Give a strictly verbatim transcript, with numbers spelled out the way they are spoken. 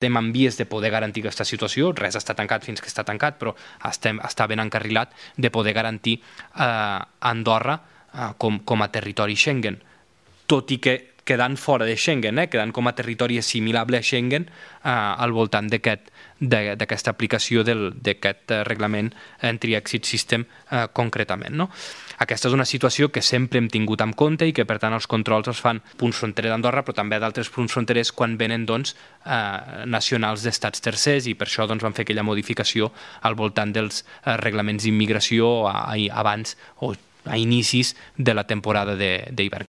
estem en vies de poder garantir aquesta situació, res està tancat fins que està tancat, però estem, està ben encarrilat de poder garantir eh, Andorra eh, com, com a territori Schengen, tot i que quedant fora de Schengen, eh, quedant com a territori assimilable a Schengen eh, al voltant d'aquesta aplicació d'aquest reglament Entry Exit System eh, concretament. No? Aquesta és una situació que sempre hem tingut en compte i que, per tant, els controls es fan punts fronterers d'Andorra, però també d'altres punts fronterers quan venen doncs, eh, nacionals d'estats tercers, i per això doncs, van fer aquella modificació al voltant dels eh, reglaments d'immigració abans o a inicis de la temporada d'hivern.